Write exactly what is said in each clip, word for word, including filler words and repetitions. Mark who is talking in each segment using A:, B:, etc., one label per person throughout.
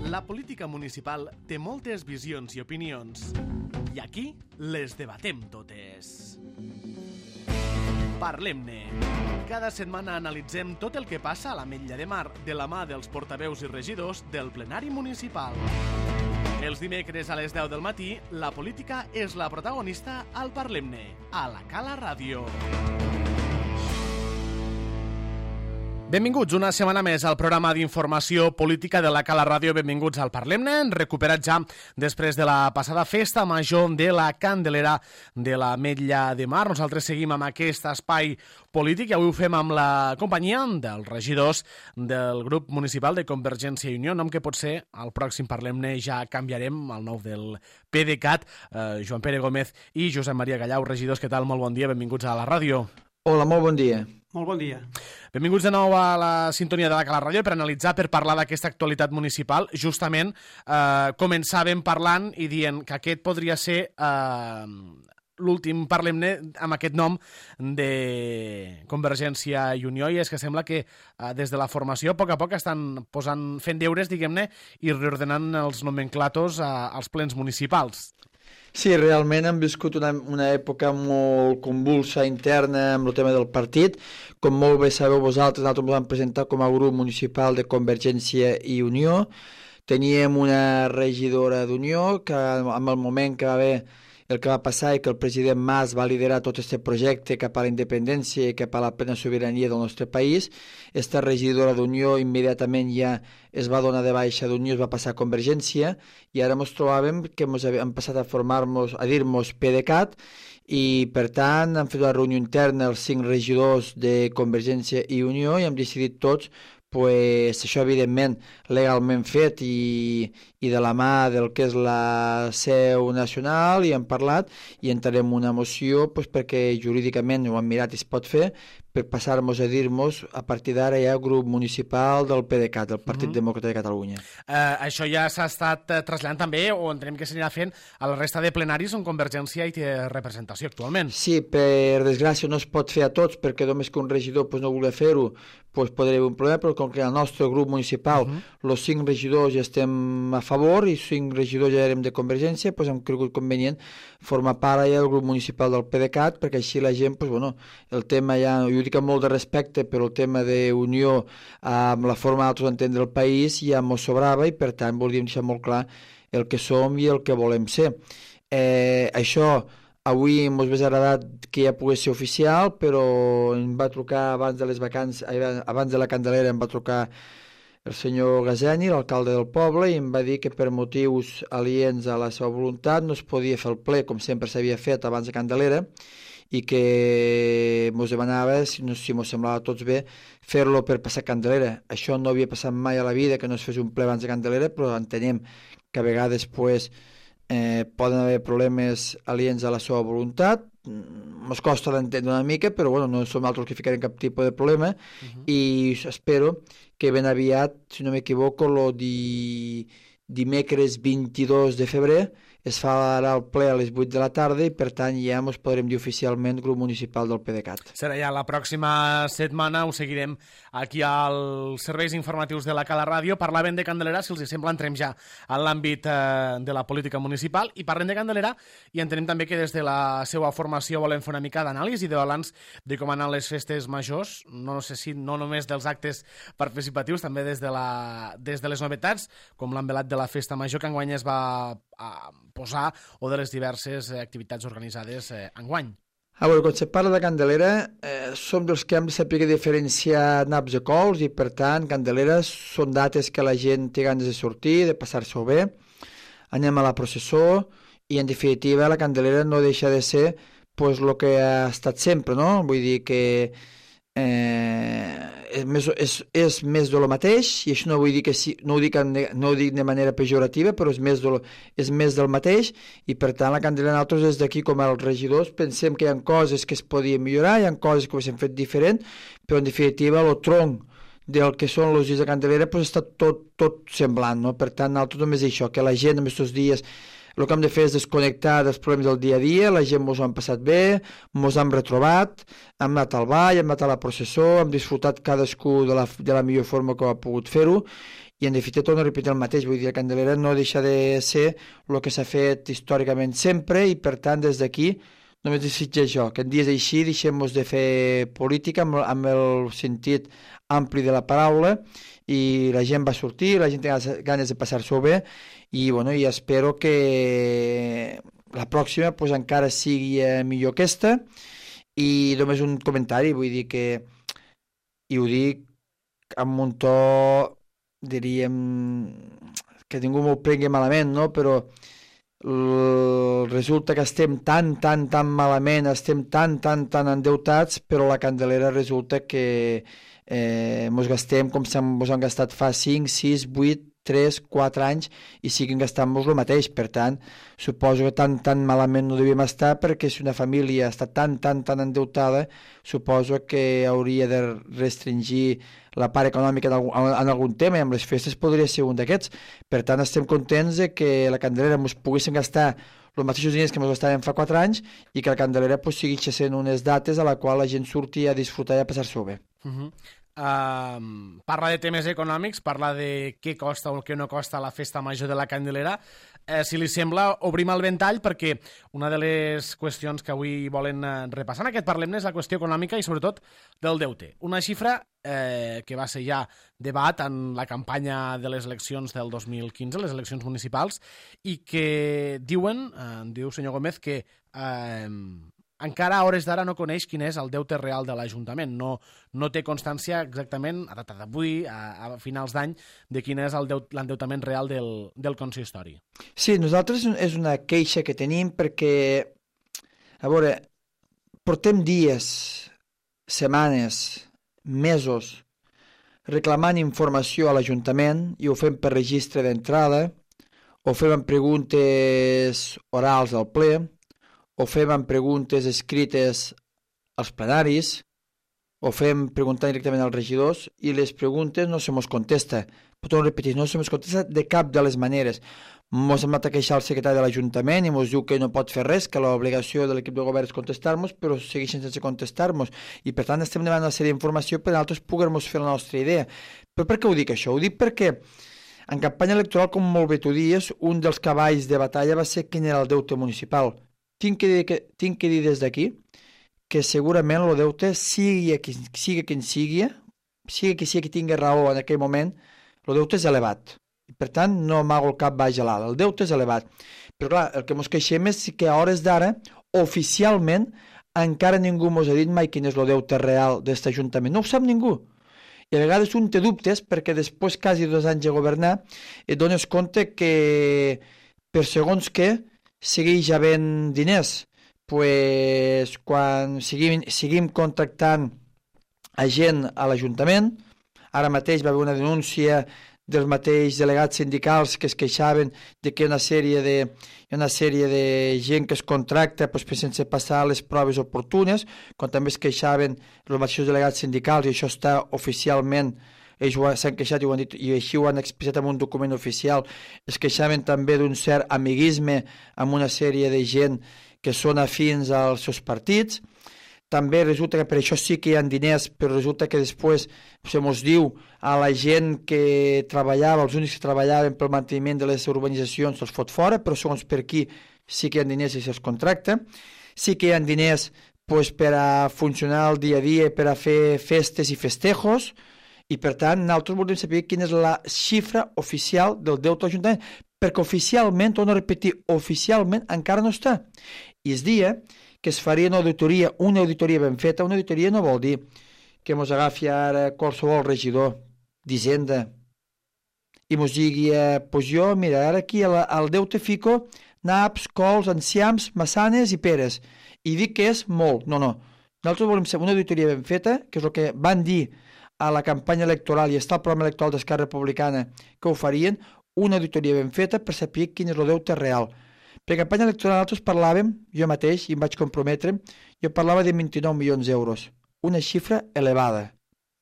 A: La política municipal té moltes visions i opinions, i aquí les debatem totes. Parlem-ne. Cada setmana analitzem tot el que passa a l'Ametlla de Mar de la mà dels portaveus i regidors del plenari municipal. Els dimecres a les deu del matí, la política és la protagonista al Parlem-ne, a la Cala Ràdio. Benvinguts una setmana més al programa d'informació política de la Cala Ràdio. Benvinguts al Parlem-ne, recuperat ja després de la passada festa major de la Candelera de l'Ametlla de Mar. Nosaltres seguim amb aquest espai polític i avui ho fem amb la companyia dels regidors del grup municipal de Convergència i Unió, nom que potser al pròxim Parlem-ne ja canviarem, el nou del PDeCAT, eh, Joan Pere Gómez i Josep Maria Gallau. Regidors, què tal? Molt bon dia, benvinguts a la ràdio.
B: Hola, molt bon dia.
C: Molt bon dia.
A: Benvinguts de nou a la sintonia de la Cala Ràdio per analitzar, per parlar d'aquesta actualitat municipal. Justament eh, començàvem parlant i dient que aquest podria ser eh, l'últim Parlem-ne amb aquest nom de Convergència i Unió, i és que sembla que eh, des de la formació a poc a poc estan posant, fent deures, diguem-ne, i reordenant els nomenclatos eh, als plens municipals.
B: Sí, realment hem viscut una, una època molt convulsa interna amb el tema del partit. Com molt bé sabeu vosaltres, nosaltres ens vam presentar com a grup municipal de Convergència i Unió. Teníem una regidora d'Unió que en el moment que va haver el que va passar i que el president Mas va liderar tot aquest projecte cap a la independència i cap a la plena sobirania del nostre país, esta regidora d'Unió immediatament ja es va donar de baixa d'Unió, es va passar a Convergència, i ara ens trobàvem que ens hem passat a formar-nos, a dir-nos PDeCAT, i per tant hem fet una reunió interna els cinc regidors de Convergència i Unió i hem decidit tots pues, això evidentment legalment fet i, i de la mà del que és la seu nacional, i hem parlat i entrarem una moció pues, perquè jurídicament ho hem mirat i es pot fer, per passar-nos a dir-nos a partir d'ara ja grup municipal del PDeCAT, del Partit mm-hmm. Demòcrata de Catalunya.
A: Uh, això ja s'ha estat uh, traslladant també, o entenem que s'anirà fent a la resta de plenaris on Convergència hi té representació actualment.
B: Sí, per desgràcia no es pot fer a tots, perquè només que un regidor pues, no volia fer-ho, pues, podria haver un problema, però com que el nostre grup municipal, els uh-huh. cinc regidors ja estem a favor i cinc regidors ja érem de Convergència, pues, hem cregut convenient formar part ja del grup municipal del PDeCAT, perquè així la gent, pues, bueno, el tema ja, jo dic amb molt de respecte, però el tema d'unió amb la forma d'altres d'entendre el país ja mos sobrava i per tant volíem deixar molt clar el que som i el que volem ser. Eh, això avui m'ho hauria agradat que ja pogués ser oficial, però em va trucar abans de les vacances, abans de la Candelera em va trucar el senyor Gazeni, l'alcalde del poble, i em va dir que per motius aliens a la seva voluntat no es podia fer el ple com sempre s'havia fet abans de Candelera, i que ens demanava, si no si ens semblava a tots bé, fer-lo per passar Candelera. Això no havia passat mai a la vida, que no es fes un ple abans de Candelera, però entenem que a vegades pues, eh, poden haver problemes aliens a la seva voluntat. Ens costa d'entendre una mica, però bueno, no som altres que ficarem cap tipus de problema, uh-huh. i espero que ben aviat, si no m'equivoco, el di... dimecres vint-i-dos de febrer es farà el ple a les vuit de la tarda i per tant ja ens podrem dir oficialment grup municipal del PDeCAT.
A: Serà ja la pròxima setmana, ho seguirem aquí als serveis informatius de la Cala Ràdio. Parlaven de Candelera, si els sembla entrem ja en l'àmbit eh, de la política municipal i parlem de Candelera i entenem també que des de la seva formació volem fer una mica d'anàlisi i de balanç de com han anat les festes majors, no, no sé si no només dels actes participatius, també des de, la, des de les novetats, com l'envelat de la festa major que enguany es va a posar, o de les diverses activitats organitzades eh, enguany.
B: A veure, quan se parla de Candelera, eh, som dels que hem de saber diferenciar naps i cols, i per tant, Candeleres són dates que la gent té ganes de sortir, de passar-s'ho bé, anem a la processó, i en definitiva la Candelera no deixa de ser pues, el que ha estat sempre, no? Vull dir que eh, és, més, és, és més de lo mateix, i això no vull dir que sí, no ho dic, no ho dic de manera pejorativa, però és més, de lo, és més del mateix, i per tant la Candelera nosaltres des d'aquí com els regidors pensem que hi ha coses que es podien millorar, hi ha coses que ho hem fet diferent, però en definitiva el tronc del que són els dies de Candelera pues, està tot, tot semblant, no? Per tant nosaltres només això, que la gent en aquests dies el que hem de fer és desconnectar dels problemes del dia a dia, la gent mos ho han passat bé, mos hem retrobat, hem anat al ball, hem anat a la processó, hem disfrutat cadascú de la, de la millor forma que ha pogut fer-ho, i en definitiva torno a repetir el mateix, vull dir, la Candelera no deixa de ser el que s'ha fet històricament sempre i per tant des d'aquí només desitjo això, que en dies així deixem-nos de fer política amb, amb el sentit ampli de la paraula i la gent va sortir, la gent té ganes de passar-s'ho bé i, bueno, i espero que la pròxima pues, encara sigui millor aquesta i només un comentari, vull dir que i ho dic amb un to diríem que ningú m'ho prengui malament, no? Però resulta que estem tan, tan, tan malament, estem tan, tan, tan endeutats, però la Candelera resulta que eh, mos gastem com si mos han gastat fa cinc, sis, vuit, tres, quatre anys i siguin gastant-nos el mateix. Per tant, suposo que tan, tan malament no devíem estar perquè si una família està tan, tan, tan endeutada, suposo que hauria de restringir la part econòmica en algun, en algun tema i amb les festes podria ser un d'aquests. Per tant, estem contents de que la Candelera ens poguéssim gastar els mateixos diners que ens gastàvem fa quatre anys i que la Candelera pues, sigui sent unes dates a la qual la gent surti a disfrutar i a passar-s'ho bé.
A: Uh -huh. Uh, parla de temes econòmics, parla de què costa o què no costa la festa major de la Candelera. Eh, si li sembla, obrim el ventall perquè una de les qüestions que avui volen repassar en aquest Parlem és la qüestió econòmica i sobretot del deute. Una xifra eh, que va ser ja debat en la campanya de les eleccions del dos mil quinze, les eleccions municipals, i que diuen, eh, diu senyor Gómez, que eh, encara a hores d'ara no coneix quin és el deute real de l'Ajuntament. No, no té constància exactament, a data d'avui, a, a finals d'any, de quin és l'endeutament real del, del consistori.
B: Sí, nosaltres és una queixa que tenim perquè, a veure, portem dies, setmanes, mesos, reclamant informació a l'Ajuntament i ho fem per registre d'entrada, ho fem amb preguntes orals al ple, ho fem amb preguntes escrites als plenaris, ho fem preguntant directament als regidors i les preguntes no se mos contesta. Però repetir, no se mos contesta de cap de les maneres. Mos hem anat a queixar al secretari de l'Ajuntament i mos diu que no pot fer res, que l'obligació de l'equip de govern és contestar-nos, però segueixen sense contestar-nos. I per tant estem demanant una sèrie d'informació per nosaltres poder-nos fer la nostra idea. Però per què ho dic això? Ho dic perquè en campanya electoral, com molt bé tu dies, un dels cavalls de batalla va ser quin era el deute municipal. Tinc que dir, que, tinc que dir des d'aquí que segurament el deute, sigui qui sigui, qui sigui, sigui qui sigui qui tingui raó en aquell moment, el deute és elevat. Per tant, no amago el cap baix a l'alt. El deute és elevat. Però clar, el que ens queixem és que a hores d'ara, oficialment, encara ningú ens ha dit mai quin és el deute real d'aquest Ajuntament. No ho sap ningú. I a vegades un té dubtes perquè després, quasi dos anys de governar, et dones compte que per segons què segueix havent diners. Pues, quan seguim, seguim contractant a gent a l'Ajuntament, ara mateix va haver una denúncia dels mateixos delegats sindicals que es queixaven de que hi ha una sèrie de, hi ha una sèrie de gent que es contracta pues, sense passar les proves oportunes, quan també es queixaven els mateixos delegats sindicals, i això està oficialment, ells s'han queixat i, ho han dit, i així ho han expressat en un document oficial, es queixaven també d'un cert amiguisme amb una sèrie de gent que són afins als seus partits. També resulta que per això sí que hi ha diners, però resulta que després se mos diu a la gent que treballava, els únics que treballaven pel manteniment de les urbanitzacions se'ls fot fora, però segons per aquí sí que hi ha diners i se'ls contracta. Sí que hi ha diners pues, per a funcionar el dia a dia, per a fer festes i festejos, i per tant nosaltres voldríem saber quina és la xifra oficial del deute de l'Ajuntament, perquè oficialment, torno a repetir, oficialment encara no està. I es dia que es faria una auditoria, una auditoria ben feta. Una auditoria no vol dir que ens agafi ara qualsevol regidor d'Hisenda i ens digui, eh, pues jo, mira, ara aquí al, al deute fico naps, cols, enciams, massanes i peres. I dic que és molt. No, no. Nosaltres volem ser una auditoria ben feta, que és el que van dir a la campanya electoral i està el programa electoral d'Esquerra Republicana que ho farien, una auditoria ben feta per saber quin és el deute real. Per la campanya electoral nosaltres parlàvem, jo mateix, i em vaig comprometre, jo parlava de vint-i-nou milions d'euros. Una xifra elevada.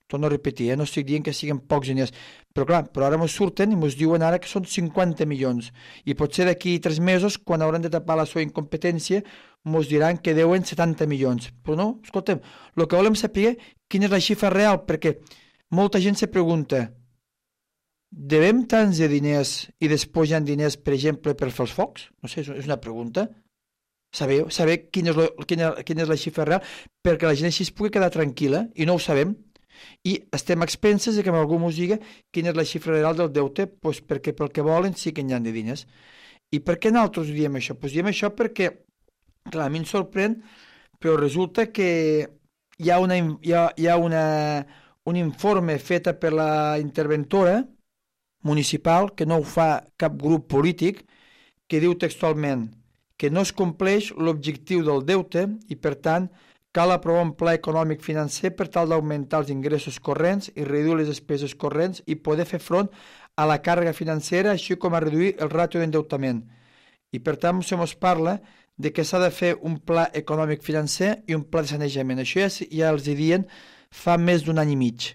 B: Torno a repetir, eh? No estic dient que siguin pocs diners. Però clar, però ara ens surten i ens diuen ara que són cinquanta milions. I potser d'aquí tres mesos, quan hauran de tapar la seva incompetència, ens diran que deuen setanta milions. Però no, escolta'm, el que volem saber quina és la xifra real, perquè molta gent se pregunta, devem tants de diners i després hi ha diners, per exemple, per fer els focs? No sé, és una pregunta. Sabeu, saber quina és, lo, quina, quina és la xifra real, perquè la gent així es pugui quedar tranquil·la, i no ho sabem. I estem a expenses de que algú ens digui quina és la xifra real del deute, pues perquè pel que volen sí que hi ha de diners. I per què nosaltres diem això? Pues diem això perquè, clar, a mi em sorprèn, però resulta que hi ha, una, hi ha, hi ha una, un informe fet per la interventora municipal, que no ho fa cap grup polític, que diu textualment que no es compleix l'objectiu del deute i, per tant, cal aprovar un pla econòmic financer per tal d'augmentar els ingressos corrents i reduir les despeses corrents i poder fer front a la càrrega financera, així com a reduir el ràtio d'endeutament. I, per tant, se mos parla de que s'ha de fer un pla econòmic financer i un pla de sanejament. Això ja, ja els diuen fa més d'un any i mig.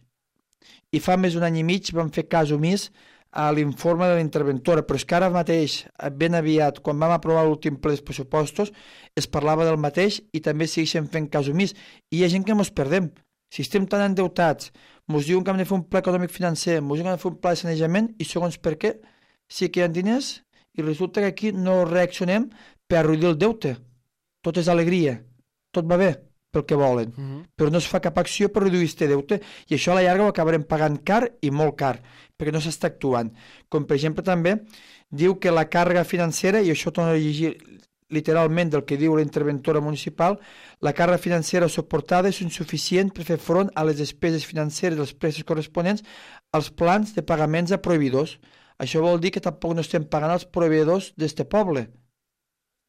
B: I fa més d'un any i mig vam fer cas omís a l'informe de la interventora, però és que ara mateix, ben aviat, quan vam aprovar l'últim ple dels pressupostos, es parlava del mateix i també segueixen fent cas omís. I hi ha gent que mos perdem. Si estem tan endeutats, mos diuen que hem de fer un pla econòmic financer, mos diuen que hem de fer un pla de sanejament, i segons per què, sí que hi ha diners, i resulta que aquí no reaccionem per reduir el deute. Tot és alegria, tot va bé pel que volen, uh-huh. però no es fa cap acció per reduir aquest deute, i això a la llarga ho acabarem pagant car i molt car, perquè no s'està actuant. Com per exemple també diu que la càrrega financera, i això torno a llegir literalment del que diu la interventora municipal, la càrrega financera suportada és insuficient per fer front a les despeses financeres dels preus corresponents als plans de pagaments a proveïdors. Això vol dir que tampoc no estem pagant als proveïdors d'este poble.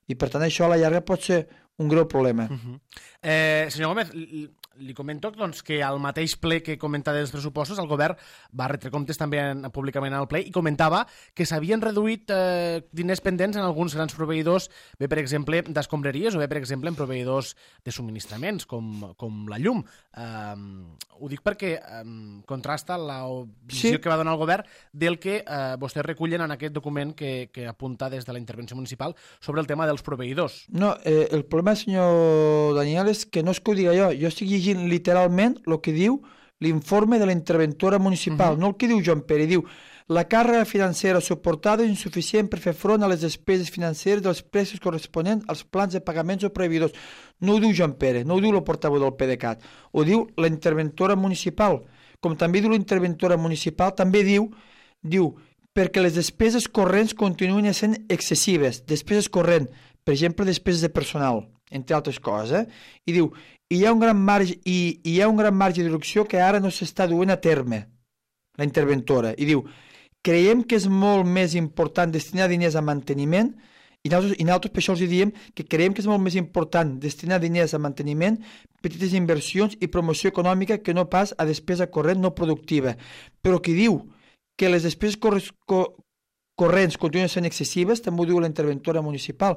B: I per tant això a la llarga pot ser un greu problema.
A: Uh-huh. eh, senyor Gómez, li, li comento doncs, que al mateix ple que comenta dels pressupostos el govern va retre comptes també en, públicament al ple i comentava que s'havien reduït eh, diners pendents en alguns grans proveïdors, bé per exemple d'escombraries o bé per exemple en proveïdors de subministraments com, com la llum. Eh, ho dic perquè eh, contrasta la visió sí. que va donar el govern del que eh, vostès recullen en aquest document que, que apunta des de la intervenció municipal sobre el tema dels proveïdors.
B: No, eh, el problema, senyor Daniel, és que no és que ho diga jo. Jo estic llegint literalment el que diu l'informe de la interventora municipal, uh-huh. no el que diu Joan Pere. Diu, la càrrega financera suportada és insuficient per fer front a les despeses financeres dels preus corresponents als plans de pagaments o proveïdors. No ho diu Joan Pere, no ho diu el portaveu del PDeCAT, ho diu la interventora municipal. Com també diu la interventora municipal, també diu, diu perquè les despeses corrents continuen sent excessives. Despeses corrents, per exemple, despeses de personal, entre altres coses, eh? I diu, hi ha un gran marge, i, hi ha un gran marge de reducció que ara no s'està duent a terme, la interventora, i diu, creiem que és molt més important destinar diners a manteniment, i nosaltres, i nosaltres per això els diem que creiem que és molt més important destinar diners a manteniment, petites inversions i promoció econòmica que no pas a despesa corrent no productiva, però qui diu que les despeses corres, co, corrents continuen sent excessives, també ho diu la interventora municipal,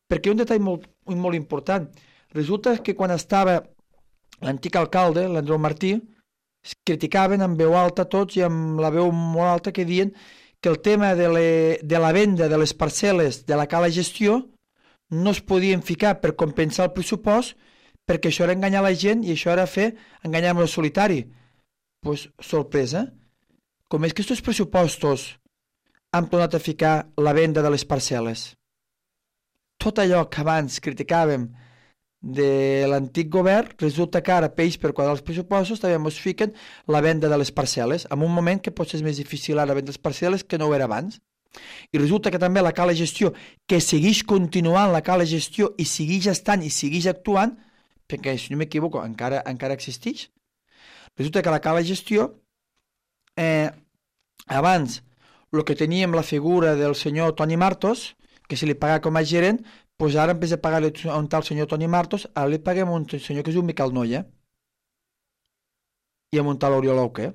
B: perquè un detall molt, molt important. Resulta que quan estava l'antic alcalde, l'Andreu Martí, es criticaven amb veu alta tots i amb la veu molt alta que diuen que el tema de, le, de la venda de les parcel·les de la cala gestió no es podien ficar per compensar el pressupost perquè això era enganyar la gent i això era fer enganyar amb el solitari. Pues, sorpresa, com és que aquests pressupostos han tornat a ficar la venda de les parcel·les. Tot allò que abans criticàvem de l'antic govern, resulta que ara peix per quadrar els pressupostos també ens fiquen la venda de les parcel·les, en un moment que potser és més difícil ara vendre les parcel·les que no ho era abans. I resulta que també la cala gestió, que segueix continuant la cala gestió i segueix estant i segueix actuant, perquè si no m'equivoco encara, encara existeix, resulta que la cala gestió eh, abans el que teníem la figura del senyor Toni Martos, que se li pagava com a gerent, doncs ara en vez de pagar-li a un tal senyor Toni Martos, ara li paguem a un senyor que es diu Miquel Noia i a un tal Oriol Auqué.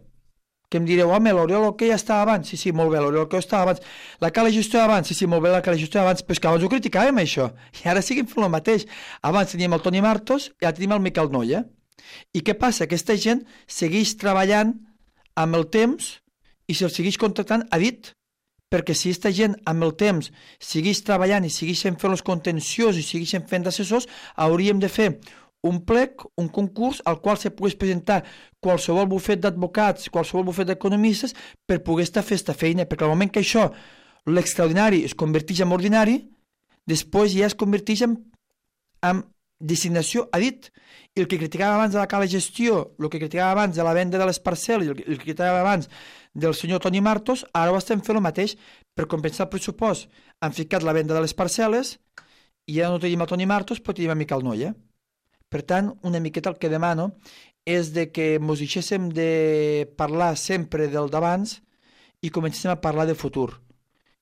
B: Que em direu, home, l'Oriol Auqué ja estava abans. Sí, sí, molt bé, l'Oriol Auqué estava abans. La cala gestió abans, sí, sí, molt bé, la cala gestió abans, però és que abans ho criticàvem, això. I ara seguim fent el mateix. Abans teníem el Toni Martos i ara tenim el Miquel Noia. I què passa? Aquesta gent segueix treballant amb el temps i se'l segueix contractant a dit, perquè si aquesta gent amb el temps segueix treballant i segueixen fent els contenciosos i segueixen fent d'assessors, hauríem de fer un plec, un concurs al qual se pogués presentar qualsevol bufet d'advocats, qualsevol bufet d'economistes per poder estar fer esta feina, perquè al moment que això, l'extraordinari es converteix en ordinari, després ja es converteix en, en designació a dit. I el que criticava abans de la cala gestió, el que criticava abans de la venda de les parcel·les, el que, el que criticava abans del senyor Toni Martos, ara ho estem fent el mateix per compensar el pressupost. Han ficat la venda de les parcel·les i ja no tenim el Toni Martos, però tenim a Miquel Noia. Per tant, una miqueta el que demano és de que mos deixéssim de parlar sempre del d'abans i comencéssim a parlar del futur.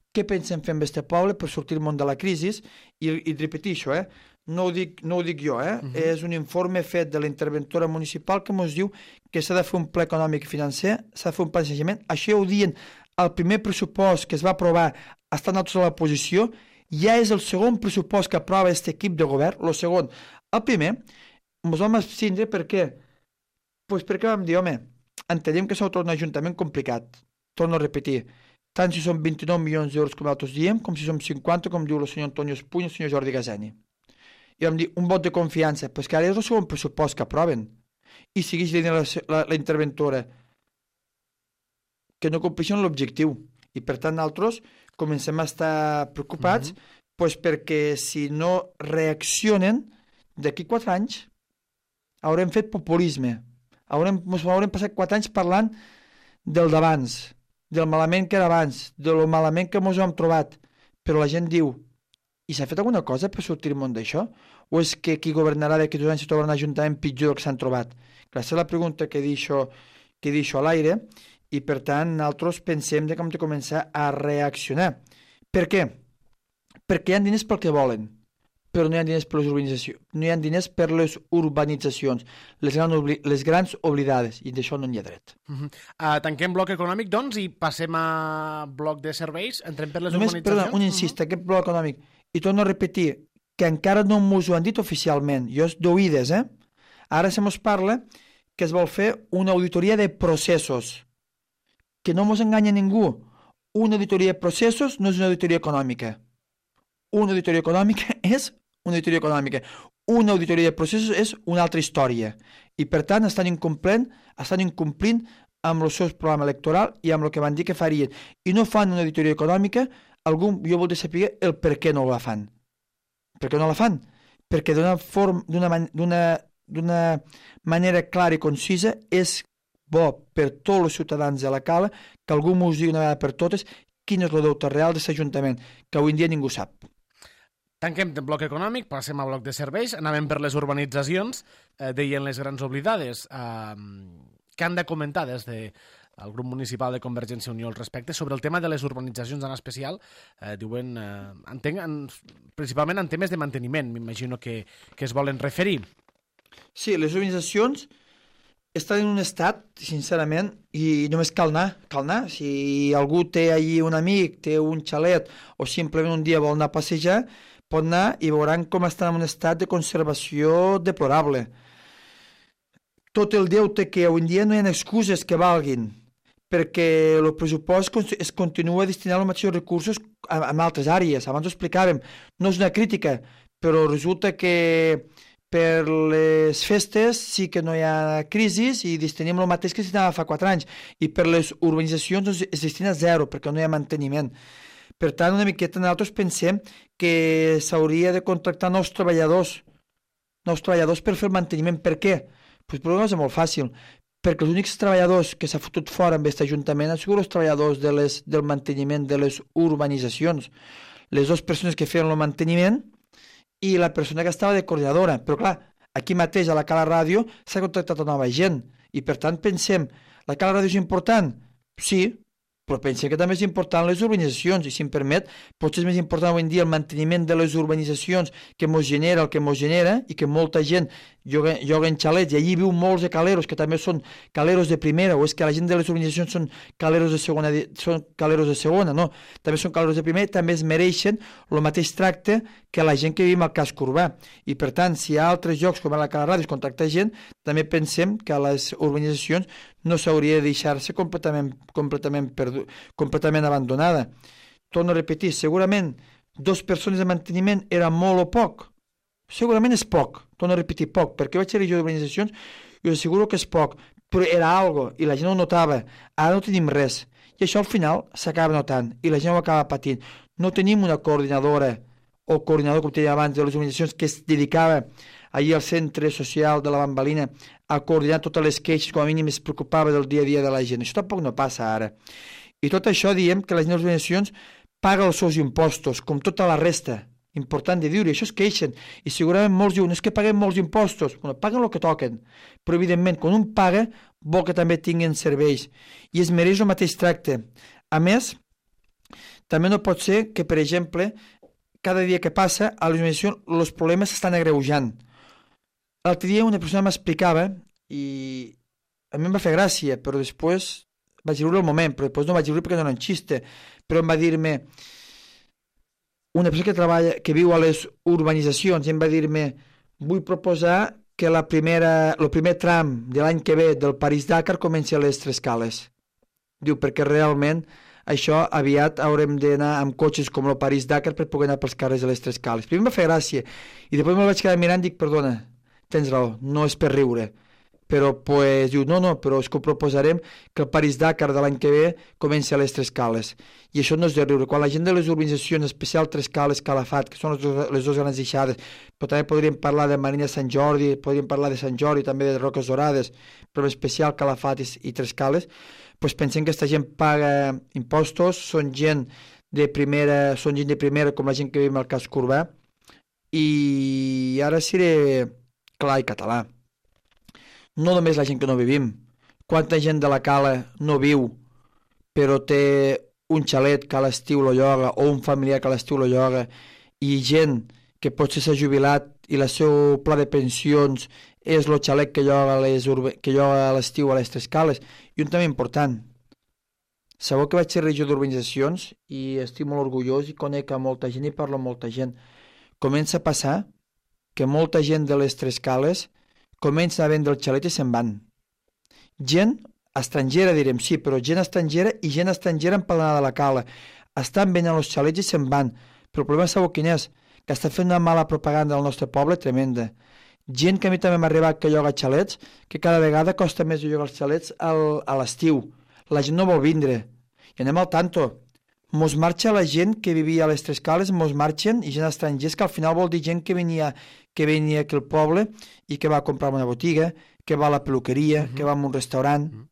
B: Què pensem fer amb aquest poble per sortir al món de la crisi? I, i repetir això, eh? No ho dic, no ho dic jo, eh? Uh-huh. És un informe fet de la interventora municipal que ens diu que s'ha de fer un pla econòmic i financer, s'ha de fer un planejament. Això ho diuen el primer pressupost que es va aprovar estant nosaltres a la posició, ja és el segon pressupost que aprova aquest equip de govern, el segon. El primer, ens vam abstindre perquè, pues perquè vam dir, home, entenem que s'ha tornat un ajuntament complicat. Torno a repetir, tant si són vint-i-nou milions d'euros com nosaltres diem, com si som cinquanta, com diu el senyor Antonio Espuny i el senyor Jordi Gazeni. I vam dir, un vot de confiança, però és que ara és el segon pressupost que aproven. I segueix dient la, la, la interventora que no compleixen l'objectiu. I per tant, nosaltres comencem a estar preocupats mm-hmm. pues perquè si no reaccionen, d'aquí quatre anys haurem fet populisme. Haurem, haurem passat quatre anys parlant del d'abans, del malament que era abans, de lo malament que ens hem trobat. Però la gent diu, i s'ha fet alguna cosa per sortir al món d'això? O és que qui governarà d'aquí dos anys se trobarà un ajuntament pitjor del que s'han trobat? Aquesta és la pregunta que deixo, que deixo a l'aire i per tant nosaltres pensem que hem de començar a reaccionar. Per què? Perquè hi ha diners pel que volen, però no hi ha diners per les urbanitzacions, no hi ha diners per les urbanitzacions, les, gran obli les grans oblidades, i d'això no n'hi ha dret.
A: Uh -huh. uh, tanquem bloc econòmic, doncs, i passem a bloc de serveis, entrem per les
B: Només,
A: urbanitzacions.
B: Perdó, un incís, uh -huh. aquest bloc econòmic, i torno a repetir, que encara no m'ho han dit oficialment, jo és d'oïdes, eh? Ara se mos parla que es vol fer una auditoria de processos, que no mos enganya ningú, una auditoria de processos no és una auditoria econòmica. Una auditoria econòmica és una auditoria econòmica. Una auditoria de processos és una altra història. I, per tant, estan incomplint, estan incomplint amb el seu programa electoral i amb el que van dir que farien. I no fan una auditoria econòmica, algú, jo voldria saber el per què no la fan. Per què no la fan? Perquè d'una forma, d'una man, d'una manera clara i concisa és bo per tots els ciutadans de la Cala que algú m'ho digui una vegada per totes quin és el deute real d'aquest ajuntament, que avui en dia ningú sap.
A: Tanquem el bloc econòmic, passem al bloc de serveis, anàvem per les urbanitzacions, eh, deien les grans oblidades. Eh, què han de comentar des del grup municipal de Convergència i Unió al respecte sobre el tema de les urbanitzacions en especial? Eh, diuen, eh, entenc, en, principalment en temes de manteniment, m'imagino que, que es volen referir.
B: Sí, les urbanitzacions estan en un estat, sincerament, i només cal anar, cal anar. Si algú té allí un amic, té un xalet, o simplement un dia vol anar a passejar, pot anar i veuran com estan en un estat de conservació deplorable. Tot el deute que avui en dia no hi ha excuses que valguin, perquè el pressupost es continua destinant els mateixos recursos en altres àrees. Abans ho explicàvem, no és una crítica, però resulta que per les festes sí que no hi ha crisis i destinem el mateix que es destinava fa quatre anys, i per les urbanitzacions es destina zero perquè no hi ha manteniment. Per tant, una miqueta nosaltres pensem que s'hauria de contractar nous treballadors, nous treballadors per fer el manteniment. Per què? Pues per una cosa molt fàcil, perquè els únics treballadors que s'ha fotut fora amb aquest ajuntament han sigut els treballadors de les, del manteniment de les urbanitzacions. Les dues persones que feien el manteniment i la persona que estava de coordinadora. Però clar, aquí mateix a la Cala Ràdio s'ha contractat nova gent i per tant pensem, la Cala Ràdio és important? Sí, però pensem que també és important les urbanitzacions i si em permet, potser és més important avui en dia el manteniment de les urbanitzacions que mos genera el que mos genera i que molta gent lloga, lloga en xalets i allí viu molts de caleros que també són caleros de primera, o és que la gent de les urbanitzacions són caleros de segona, són caleros de segona, no, també són caleros de primera, també es mereixen el mateix tracte que la gent que vivim al casc urbà. I per tant, si hi ha altres llocs com a la Cala Ràdio es contracta gent, també pensem que a les urbanitzacions no s'hauria de deixar-se completament, completament, perdu, completament abandonada. Torno a repetir, segurament dos persones de manteniment era molt o poc. Segurament és poc, torno a repetir, poc, perquè vaig ser regidor d'urbanitzacions i us asseguro que és poc, però era algo i la gent ho notava. Ara no tenim res. I això al final s'acaba notant i la gent ho acaba patint. No tenim una coordinadora o coordinador, com tenia abans, de les organitzacions que es dedicava allí al centre social de la Bambalina a coordinar totes les queixes, com a mínim es preocupava del dia a dia de la gent. Això tampoc no passa ara. I tot això diem que la gent de les organitzacions paga els seus impostos, com tota la resta. Important de dir-ho, això es queixen. I segurament molts diuen, és que paguem molts impostos. Bueno, paguen el que toquen. Però evidentment, quan un paga, vol que també tinguin serveis. I es mereix el mateix tracte. A més, també no pot ser que, per exemple, cada dia que passa, a l'organització els problemes s'estan agreujant. L'altre dia una persona m'explicava i a mi em va fer gràcia, però després vaig riure al moment, però després no vaig riure perquè no era un xiste, però em va dir-me una persona que treballa, que viu a les urbanitzacions, i em va dir-me vull proposar que la primera, el primer tram de l'any que ve del París-Dakar comenci a les Tres Cales. Diu, perquè realment això aviat haurem d'anar amb cotxes com el París-Dakar per poder anar pels carrers de les Tres Cales. Primer em va fer gràcia i després me'l vaig quedar mirant i dic, perdona, tens raó, no és per riure. Però pues, diu, no, no, però és que ho proposarem que el París-Dakar de l'any que ve comenci a les Tres Cales. I això no és de riure. Quan la gent de les urbanitzacions, en especial Tres Cales, Calafat, que són les dues, les dues grans deixades, però també podríem parlar de Marina Sant Jordi, podríem parlar de Sant Jordi, també de Roques Dorades, però en especial Calafat i, i Tres Cales, pues pensem que aquesta gent paga impostos, són gent de primera, són gent de primera com la gent que viu al casc urbà, i ara seré clar i català. No només la gent que no vivim. Quanta gent de la Cala no viu, però té un xalet que a l'estiu lo lloga, o un familiar que a l'estiu lo lloga, i gent que potser s'ha jubilat i el seu pla de pensions és el xalet que lloga, les urbe... que lloga a l'estiu a les Tres Cales. I un tema important. Sabeu que vaig ser regidor d'urbanitzacions i estic molt orgullós i conec a molta gent i parlo amb molta gent. Comença a passar que molta gent de les Tres Cales comença a vendre el xalet i se'n van. Gent estrangera, direm, sí, però gent estrangera i gent estrangera empadronada de la Cala. Estan venent els xalets i se'n van. Però el problema sabeu quin és? Que està fent una mala propaganda al nostre poble tremenda. Gent que a mi també m'ha arribat que lloga xalets, que cada vegada costa més de llogar els xalets al, a l'estiu. La gent no vol vindre. I anem al tanto. Mos marxa la gent que vivia a les Tres Cales, mos marxen, i gent estrangers, que al final vol dir gent que venia, que venia aquí al poble i que va a comprar una botiga, que va a la peluqueria, uh-huh. que va a un restaurant. Uh-huh.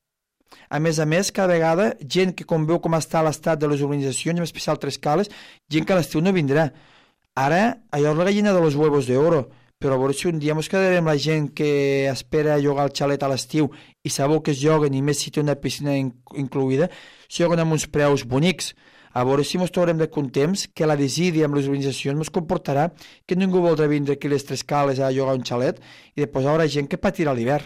B: A més a més, cada vegada, gent que com veu com està l'estat de les urbanitzacions, en especial Tres Cales, gent que a l'estiu no vindrà. Ara, allò és la gallina de los huevos d'oro, però a veure si un dia ens quedarem la gent que espera llogar el xalet a l'estiu i sabeu que es lloguen, i més si té una piscina in- incluïda, si lloguen amb uns preus bonics. A veure si ens trobarem de temps que la desídia amb les organitzacions ens comportarà que ningú voldrà vindre aquí a les Tres Cales a llogar un xalet i després hi haurà gent que patirà l'hivern.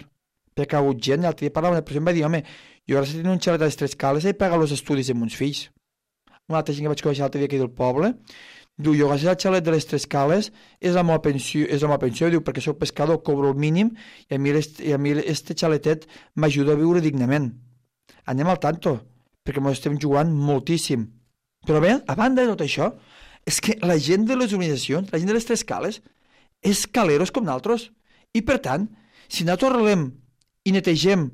B: Perquè ha hagut gent, l'altre dia parlava una persona i em va dir, home, jo ara si tinc un xalet a les Tres Cales he pagat els estudis de meus fills. Una altra gent que vaig conèixer l'altre dia aquí del poble diu, jo gràcies al xalet de les Tres Cales és la meva pensió, és la meva pensió, diu, perquè soc pescador, cobro el mínim i a mi, i a mi este xaletet m'ajuda a viure dignament. Anem al tanto, perquè ens estem jugant moltíssim. Però bé, a banda de tot això, és que la gent de les organitzacions, la gent de les Tres Cales, és caleros com nosaltres. I per tant, si nosaltres arreglem i netegem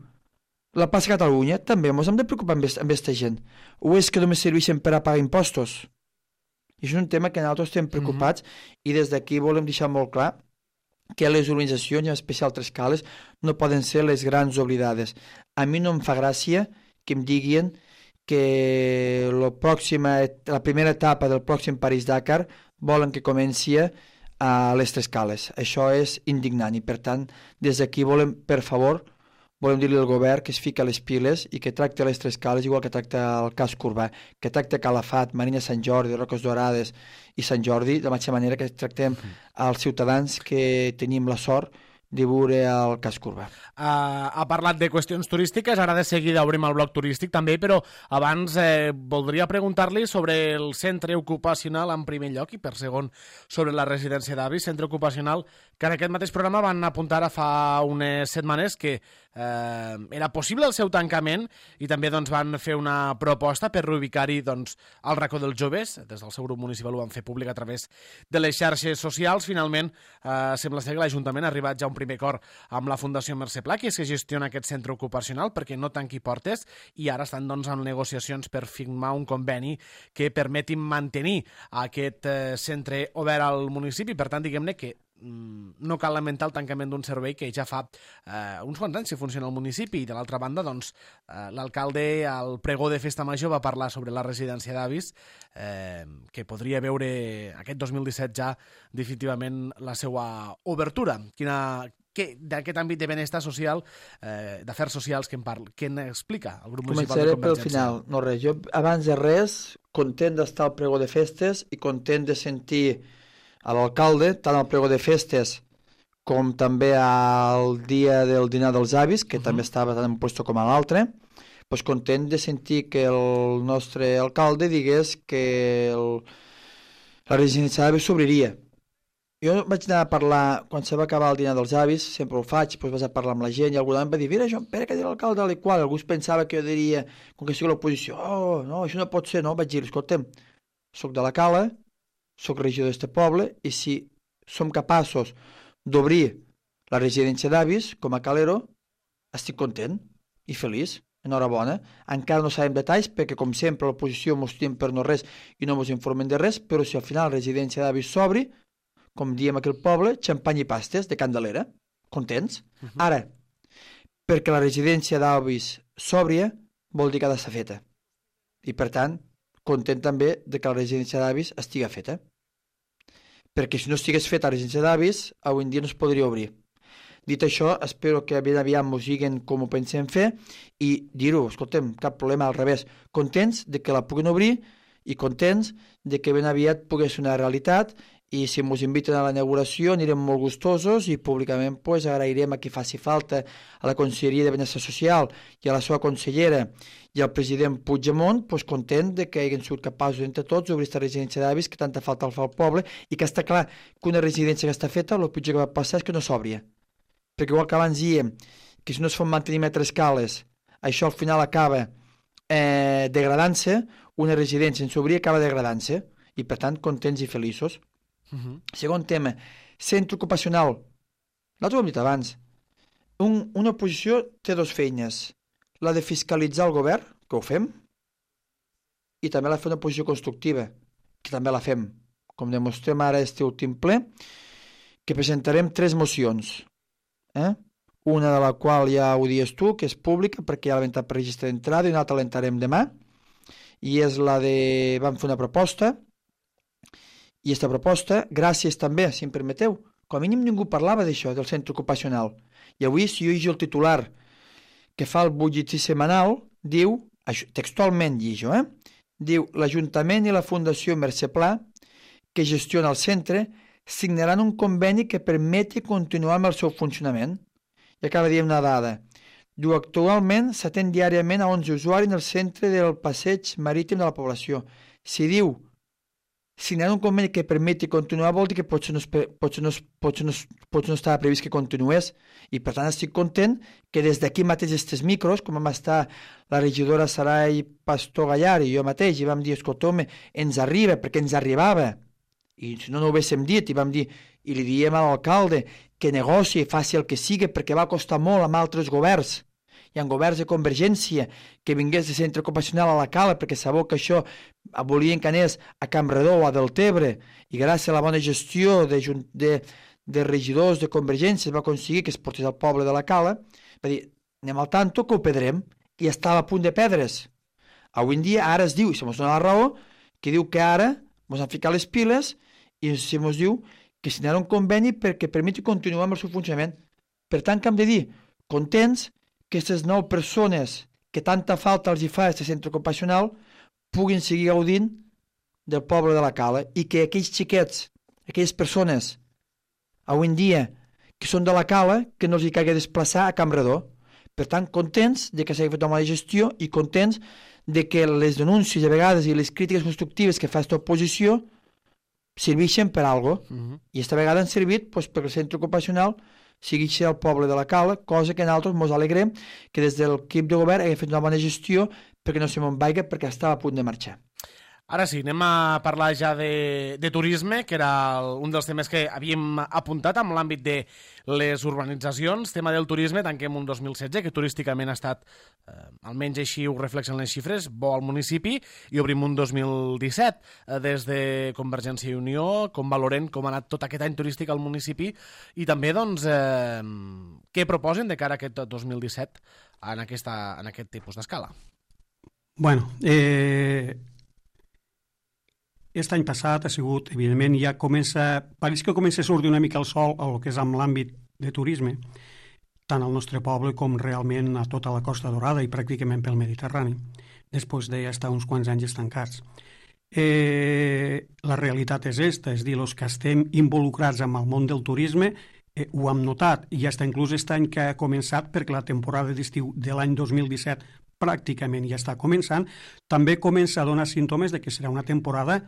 B: la plaça Catalunya, també ens hem de preocupar amb aquesta gent. O és que només serveixen per a pagar impostos? I això és un tema que nosaltres estem preocupats mm-hmm. i des d'aquí volem deixar molt clar que les organitzacions, en especial Tres Cales, no poden ser les grans oblidades. A mi no em fa gràcia que em diguin que la, pròxima, la primera etapa del pròxim París-Dakar volen que comenci a les Tres Cales. Això és indignant i, per tant, des d'aquí volem, per favor, volem dir-li al govern que es fica les piles i que tracta les Tres Cales igual que tracta el casc urbà, que tracta Calafat, Marina Sant Jordi, Roques Dorades i Sant Jordi, de la mateixa manera que tractem als ciutadans que tenim la sort de veure el casc urbà.
A: Uh, ha parlat de qüestions turístiques, ara de seguida obrim el bloc turístic també, però abans eh, voldria preguntar-li sobre el centre ocupacional en primer lloc i per segon sobre la residència d'avis, centre ocupacional que en aquest mateix programa van apuntar a fa unes setmanes que eh, era possible el seu tancament i també doncs, van fer una proposta per reubicar-hi doncs, el racó dels joves. Des del seu grup municipal ho van fer públic a través de les xarxes socials. Finalment, eh, sembla ser que l'Ajuntament ha arribat ja a un primer acord amb la Fundació Mercè Pla, que és que gestiona aquest centre ocupacional perquè no tanqui portes, i ara estan doncs, en negociacions per firmar un conveni que permeti mantenir aquest eh, centre obert al municipi. Per tant, diguem-ne que mm, no cal lamentar el tancament d'un servei que ja fa eh, uns quants anys que funciona al municipi. I de l'altra banda, doncs, eh, l'alcalde al pregó de Festa Major va parlar sobre la residència d'avis, eh, que podria veure aquest dos mil disset ja definitivament la seva obertura. Quina... d'aquest àmbit de benestar social, eh, d'afers socials que en parla, que en explica el grup municipal de Convergència.
B: Començaré pel final. No res, jo abans de res, content d'estar al pregó de festes i content de sentir a l'alcalde, tant al pregó de festes com també al dia del dinar dels avis, que uh-huh. també estava tant en un puesto com a l'altre, doncs content de sentir que el nostre alcalde digués que el, la residència d'avis s'obriria. Jo vaig anar a parlar, quan se va acabar el dinar dels avis, sempre ho faig, doncs vaig a parlar amb la gent i algú em va dir, mira, Joan Pere, que dirà l'alcalde, tal i qual. Algú pensava que jo diria, com que sigui l'oposició, oh, no, això no pot ser, no? Vaig dir, escolta'm, soc de la Cala, soc regidor d'este poble, i si som capaços d'obrir la residència d'avis, com a Calero, estic content i feliç. Enhorabona. Encara no sabem detalls, perquè com sempre l'oposició mos tiem per no res i no mos informen de res, però si al final la residència d'avis s'obri, com diem aquí al poble, xampany i pastes de Candelera, contents. Uh-huh. Ara, perquè la residència d'avis sòbria vol dir que ha d'estar feta. I per tant, content també de que la residència d'avis estigui feta. Perquè si no estigués feta la residència d'avis, avui en dia no es podria obrir. Dit això, espero que ben aviat mos diguen com ho pensem fer i dir-ho, escoltem, cap problema, al revés. Contents de que la puguin obrir i contents de que ben aviat pugui ser una realitat. I si ens inviten a la inauguració anirem molt gustosos i públicament pues, agrairem a qui faci falta, a la Conselleria de Benestar Social i a la seva consellera i al president Puigdemont, pues, content de que hagin sigut capaços entre tots d'obrir aquesta residència d'avis que tanta falta el fa al poble i que està clar que una residència que està feta, el pitjor que va passar és que no s'obria. Perquè igual que abans diem que si no es fan manteniment a tres cales, això al final acaba eh, degradant-se, una residència sense obrir acaba degradant-se i per tant contents i feliços. Uh-huh. Segon tema, centre ocupacional. L'altre ho hem dit abans. Un, una oposició té dues feines. La de fiscalitzar el govern, que ho fem, i també la de fer una oposició constructiva, que també la fem. Com demostrem ara este últim ple, que presentarem tres mocions. Eh? Una de la qual ja ho dius tu, que és pública, perquè ja l'hem entrat per registre d'entrada, i una altra l'entrarem demà, i és la de... vam fer una proposta, i aquesta proposta, gràcies també, si em permeteu, com a mínim ningú parlava d'això, del centre ocupacional. I avui, si jo llegeixo el titular que fa el butlletí setmanal, diu, textualment llegeixo, eh? diu, l'Ajuntament i la Fundació Mercè Pla, que gestiona el centre, signaran un conveni que permeti continuar amb el seu funcionament. I acaba de dir una dada. Diu, actualment s'atén diàriament a onze usuaris en el centre del passeig marítim de la població. Si diu, signar un conveni que permeti continuar vol dir que potser no, potser no, potser no, potser no estava previst que continués i per tant estic content que des d'aquí mateix aquests micros, com vam estar la regidora Sarai Pastor Gallar i jo mateix i vam dir, escolta, home, ens arriba perquè ens arribava i si no no ho haguéssim dit i vam dir i li diem a l'alcalde que negoci, faci el que sigui perquè va costar molt amb altres governs i en governs de Convergència que vingués de centre ocupacional a la Cala perquè sabeu que això volien que anés a Campredó o a Deltebre i gràcies a la bona gestió de, de, de regidors de Convergència es va aconseguir que es portés al poble de la Cala, va dir, anem al tanto que ho perdrem i estava a punt de perdre's. Avui en dia ara es diu, i se mos dona la raó, que diu que ara mos han ficat les piles i se mos diu que signarà un conveni perquè permeti continuar amb el seu funcionament. Per tant, que hem de dir, contents que aquestes nou persones que tanta falta els hi fa a aquest centre ocupacional puguin seguir gaudint del poble de la Cala i que aquells xiquets, aquelles persones, avui en dia, que són de la Cala, que no els hi caiga desplaçar a Campredó. Per tant, contents de que s'hagi fet una mala gestió i contents de que les denúncies a vegades i les crítiques constructives que fa aquesta oposició serveixen per alguna cosa. Uh-huh. I aquesta vegada han servit doncs, perquè el centre ocupacional sigui ser el poble de la Cala, cosa que nosaltres ens alegrem que des de l'equip de govern haguem fet una bona gestió perquè no se me'n vaiga perquè estava a punt de marxar.
A: Ara sí, anem a parlar ja de, de turisme, que era el, un dels temes que havíem apuntat amb l'àmbit de les urbanitzacions. Tema del turisme, tanquem un dos mil setze, que turísticament ha estat, eh, almenys així ho reflexen les xifres, bo al municipi, i obrim un dos mil disset. Eh, des de Convergència i Unió, com valorem com ha anat tot aquest any turístic al municipi, i també, doncs, eh, què proposen de cara a aquest dos mil disset en, aquesta, en aquest tipus d'escala?
C: Bueno, eh... Aquest any passat ha sigut, evidentment, ja comença, pareix que comença a sortir una mica el sol a el que és amb l'àmbit de turisme, tant al nostre poble com realment a tota la Costa Dorada i pràcticament pel Mediterrani, després d'estar uns quants anys estancats. Eh, la realitat és esta, és dir, els que estem involucrats amb el món del turisme eh, ho hem notat, i ja està inclús aquest any que ha començat, perquè la temporada d'estiu de l'any dos mil disset pràcticament ja està començant, també comença a donar símptomes de que serà una temporada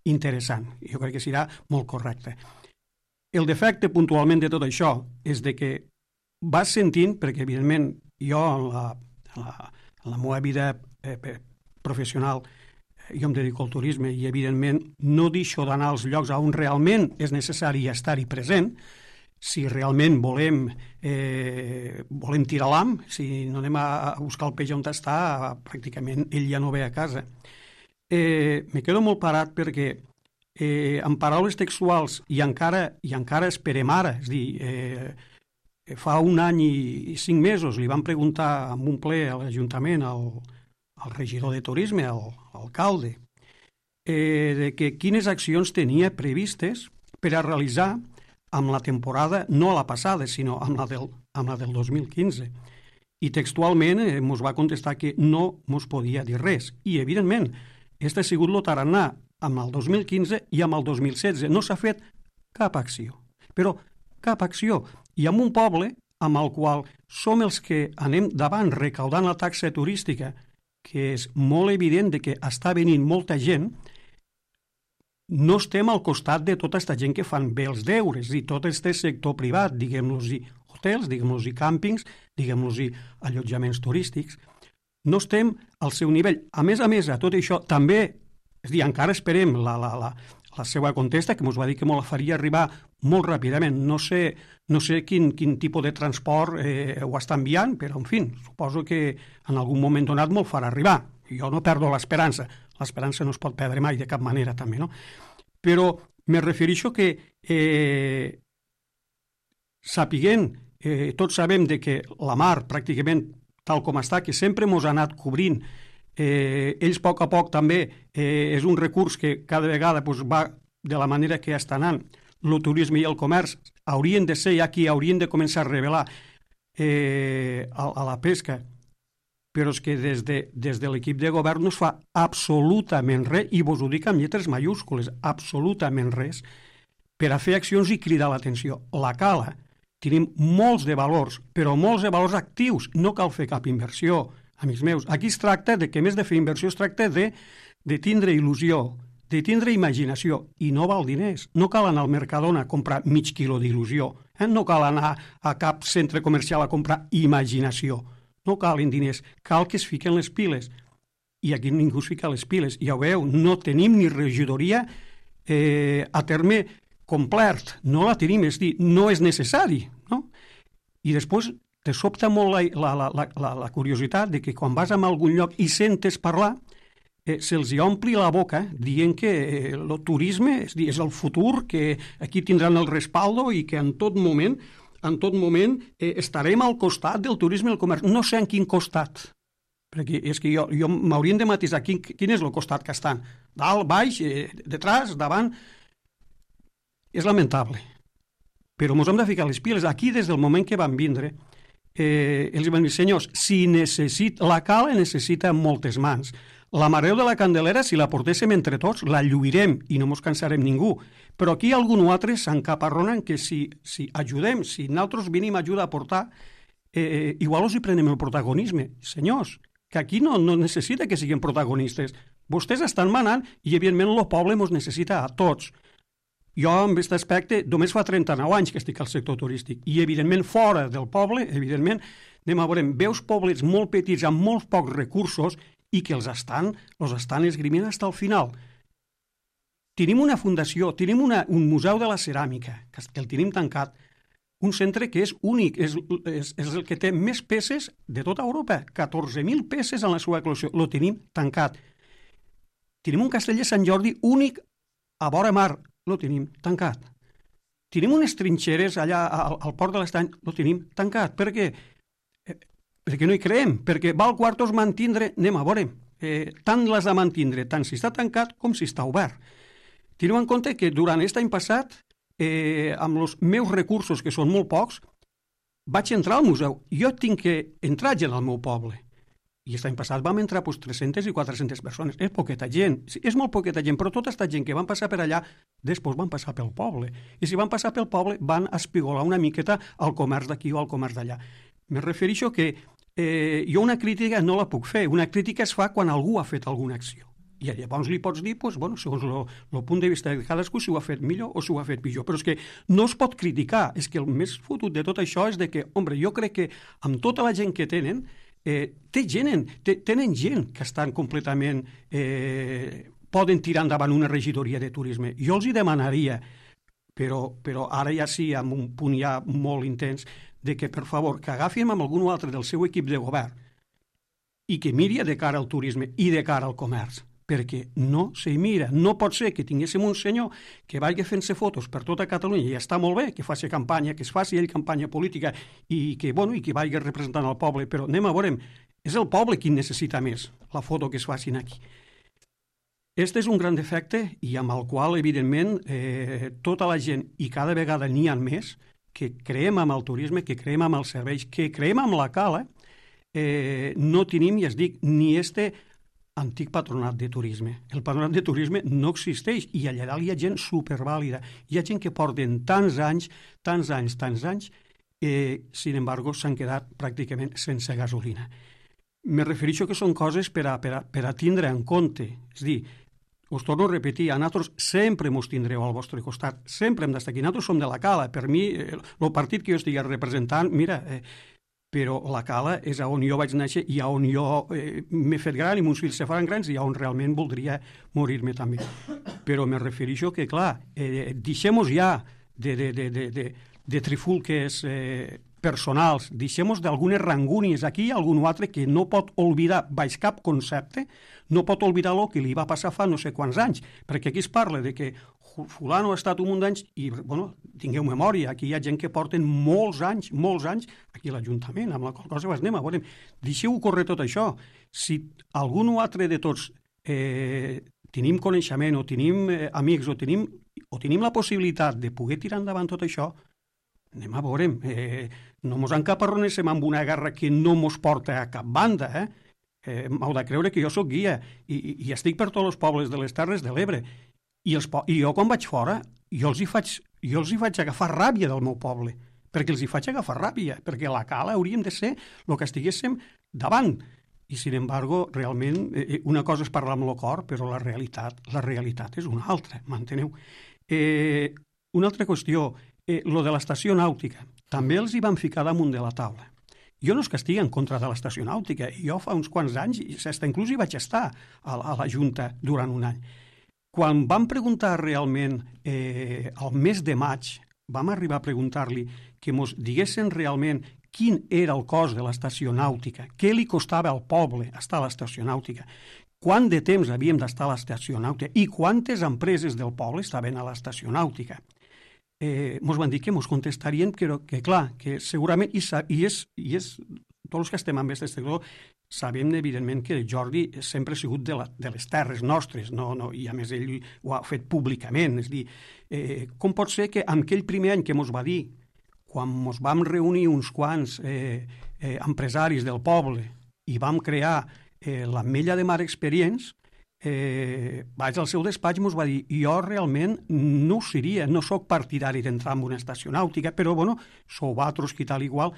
C: interessant. Jo crec que serà molt correcte. El defecte puntualment de tot això és de que vas sentint, perquè evidentment jo en la, en la, en la meva vida eh, professional jo em dedico al turisme i evidentment no deixo d'anar als llocs on realment és necessari estar-hi present. Si realment volem, eh, volem tirar l'am, si no anem a buscar el peix on està, pràcticament ell ja no ve a casa. Eh, me quedo molt parat perquè eh, en paraules textuals i encara, i encara esperem ara, és dir, eh, fa un any i, i cinc mesos li van preguntar en un ple a l'Ajuntament al, al regidor de turisme, al alcalde, eh, de que quines accions tenia previstes per a realitzar amb la temporada, no la passada, sinó amb la del, amb la del dos mil quinze. I textualment eh, mos va contestar que no mos podia dir res. I, evidentment, este ha sigut el tarannà amb el dos mil quinze i amb el dos mil setze. No s'ha fet cap acció. Però cap acció. I amb un poble amb el qual som els que anem davant recaudant la taxa turística, que és molt evident de que està venint molta gent, no estem al costat de tota aquesta gent que fan bé els deures, i tot este sector privat, diguem-los-hi hotels, diguem-los-hi càmpings, diguem-los-hi allotjaments turístics. No estem al seu nivell. A més a més, a tot això, també, és dir, encara esperem la, la, la, la seva contesta, que ens va dir que m'ho la faria arribar molt ràpidament. No sé, no sé quin, quin tipus de transport eh, ho està enviant, però, en fi, suposo que en algun moment donat m'ho farà arribar. Jo no perdo l'esperança. L'esperança no es pot perdre mai de cap manera, també, no? Però me refereixo que eh, sapiguent, eh, tots sabem de que la mar pràcticament tal com està, que sempre mos ha anat cobrint, eh, ells a poc a poc també eh, és un recurs que cada vegada pues, va de la manera que està anant. El turisme i el comerç haurien de ser ja qui haurien de començar a revelar eh, a, a la pesca, però és que des de, des de l'equip de govern no es fa absolutament res, i vos ho dic amb lletres majúscules, absolutament res, per a fer accions i cridar l'atenció. La Cala, tenim molts de valors, però molts de valors actius, no cal fer cap inversió, amics meus. Aquí es tracta de que, més de fer inversió, es tracta de, de tindre il·lusió, de tindre imaginació, i no val diners. No cal anar al Mercadona a comprar mig quilo d'il·lusió, eh? No cal anar a cap centre comercial a comprar imaginació. No calen diners, cal que es fiquen les piles. I aquí ningú es fica les piles. Ja ho veieu, no tenim ni regidoria eh, a terme complet, no la tenim, és dir, no és necessari, no? I després te sobta molt la, la, la, la, la curiositat de que quan vas a algun lloc i sentes parlar, eh, se'ls ompli la boca dient que eh, el turisme és, dir, és el futur, que aquí tindran el respaldo i que en tot moment en tot moment eh, estarem al costat del turisme i el comerç. No sé en quin costat, perquè és que jo, jo m'haurien de matisar quin, quin és el costat que estan. Dalt, baix, eh, detrás, davant. És lamentable. Però ens hem de ficar les piles. Aquí, des del moment que van vindre, eh, els van dir, senyors, si necessita, la Cala necessita moltes mans. La Mareu de la Candelera, si la portéssim entre tots, la lluirem i no ens cansarem ningú. Però aquí algun altre s'encaparronen que si, si ajudem, si nosaltres venim a ajudar a portar, eh, igual us hi prenem el protagonisme. Senyors, que aquí no, no necessita que siguin protagonistes. Vostès estan manant i, evidentment, el poble ens necessita a tots. Jo, en aquest aspecte, només fa trenta-nou anys que estic al sector turístic i, evidentment, fora del poble, evidentment, anem a veure, veus poblets molt petits amb molts pocs recursos i que els estan, els estan esgrimint fins al final. Tenim una fundació, tenim una, un museu de la ceràmica, que el tenim tancat, un centre que és únic, és, és, és el que té més peces de tota Europa, catorze mil peces en la seva col·lecció, el tenim tancat. Tenim un castell de Sant Jordi únic a vora mar, el tenim tancat. Tenim unes trinxeres allà al, al port de l'Estany, el tenim tancat. Per què? Eh, perquè no hi creem, perquè val quartos mantindre, anem a veure, eh, tant les de mantindre, tant si està tancat com si està obert. Teniu en compte que durant aquest any passat, eh, amb els meus recursos, que són molt pocs, vaig entrar al museu. Jo tinc que entrar gent al meu poble. I aquest any passat vam entrar pues, tres-centes i quatre-centes persones. És poqueta gent, sí, és molt poqueta gent, però tota aquesta gent que van passar per allà, després van passar pel poble. I si van passar pel poble, van espigolar una miqueta al comerç d'aquí o al comerç d'allà. Me refereixo que eh, jo una crítica no la puc fer. Una crítica es fa quan algú ha fet alguna acció. I llavors li pots dir, pues, bueno, segons el punt de vista de cadascú, si ho ha fet millor o si ho ha fet pitjor. Però és que no es pot criticar. És que el més fotut de tot això és de que, home, jo crec que amb tota la gent que tenen, Eh, té gent, té, tenen gent que estan completament eh, poden tirar endavant una regidoria de turisme. Jo els hi demanaria, però, però ara ja sí, amb un punt ja molt intens, de que, per favor, que agafin amb algun altre del seu equip de govern i que miri de cara al turisme i de cara al comerç, perquè no se mira. No pot ser que tinguéssim un senyor que vagi fent-se fotos per tota Catalunya i està molt bé que faci campanya, que es faci ell campanya política i que, bueno, i que vagi representant el poble, però anem a veure, és el poble qui necessita més la foto que es facin aquí. Este és un gran defecte i amb el qual, evidentment, eh, tota la gent, i cada vegada n'hi ha més, que creem amb el turisme, que creem amb els serveis, que creem amb la cala, eh, no tenim, ja es dic, ni este antic patronat de turisme. El patronat de turisme no existeix i allà dalt hi ha gent supervàlida. Hi ha gent que porten tants anys, tants anys, tants anys, eh, sin embargo, s'han quedat pràcticament sense gasolina. Me refereixo que són coses per a, per a, per a tindre en compte. És dir, us torno a repetir, a nosaltres sempre mos tindreu al vostre costat, sempre hem d'estar aquí. Nosaltres som de la Cala. Per mi, el eh, partit que jo estigui representant, mira, eh, però la Cala és on jo vaig néixer i on jo eh, m'he fet gran i meus fills se faran grans i on realment voldria morir-me també. Però me refereixo que, clar, eh, deixem-nos ja de, de, de, de, de, de trifulques eh, personals, deixem-nos d'algunes rangúnies. Aquí hi ha algun altre que no pot oblidar, baix cap concepte, no pot oblidar el que li va passar fa no sé quants anys, perquè aquí es parla de que fulano ha estat un munt d'anys i, bueno, tingueu memòria, aquí hi ha gent que porten molts anys, molts anys aquí a l'Ajuntament, amb la qual cosa vas anem a veure, deixeu córrer tot això. Si algun altre de tots eh, tenim coneixement o tenim eh, amics o tenim, o tenim la possibilitat de poder tirar endavant tot això, anem a veure, eh, no mos encaparronéssim amb una guerra que no mos porta a cap banda, eh? eh M'heu de creure que jo sóc guia i, i, i estic per tots els pobles de les Terres de l'Ebre. I, els, I jo quan vaig fora, jo els, hi faig, jo els hi faig agafar ràbia del meu poble, perquè els hi faig agafar ràbia, perquè a la Cala hauríem de ser el que estiguéssim davant. I, sin embargo, realment, eh, una cosa és parlar amb el cor, però la realitat, la realitat és una altra, m'enteneu? Eh, una altra qüestió, eh, lo de l'estació nàutica, també els hi van ficar damunt de la taula. Jo no és que estigui en contra de l'estació nàutica, jo fa uns quants anys, inclús hi vaig estar a, a la Junta durant un any. Quan vam preguntar realment, eh, al mes de maig, vam arribar a preguntar-li que ens diguessin realment quin era el cost de l'estació nàutica, què li costava al poble estar a l'estació nàutica, quant de temps havíem d'estar a l'estació nàutica i quantes empreses del poble estaven a l'estació nàutica. Eh, ens van dir que ens contestarien que, que clar, que segurament, i, i, és, i és, tots els que estem en aquest sector, sabem, evidentment, que Jordi sempre ha sigut de, la, de les terres nostres, no, no, i a més ell ho ha fet públicament. És dir, eh, com pot ser que en aquell primer any que ens va dir, quan ens vam reunir uns quants eh, eh, empresaris del poble i vam crear eh, l'Ametlla de Mar Experience, eh, vaig al seu despatx i ens va dir jo realment no ho seria, no sóc partidari d'entrar en una estació nàutica, però bueno, sou vosaltres que tal igual.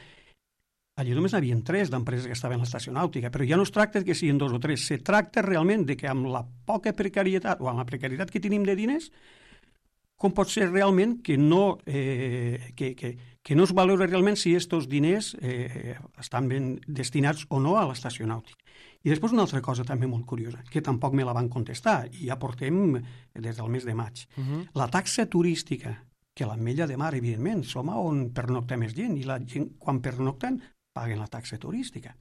C: Allí només n'hi havia tres d'empreses que estaven a l'estació nàutica, però ja no es tracta que siguin dos o tres, se tracta realment de que amb la poca precarietat o amb la precarietat que tenim de diners, com pot ser realment que no, eh, que, que, que no es valora realment si aquests diners eh, estan ben destinats o no a l'estació nàutica. I després una altra cosa també molt curiosa, que tampoc me la van contestar, i ja portem des del mes de maig. Uh-huh. La taxa turística, que l'Ametlla de Mar, evidentment, som on pernocta més gent, i la gent, quan pernocten, paguen la taxa turística.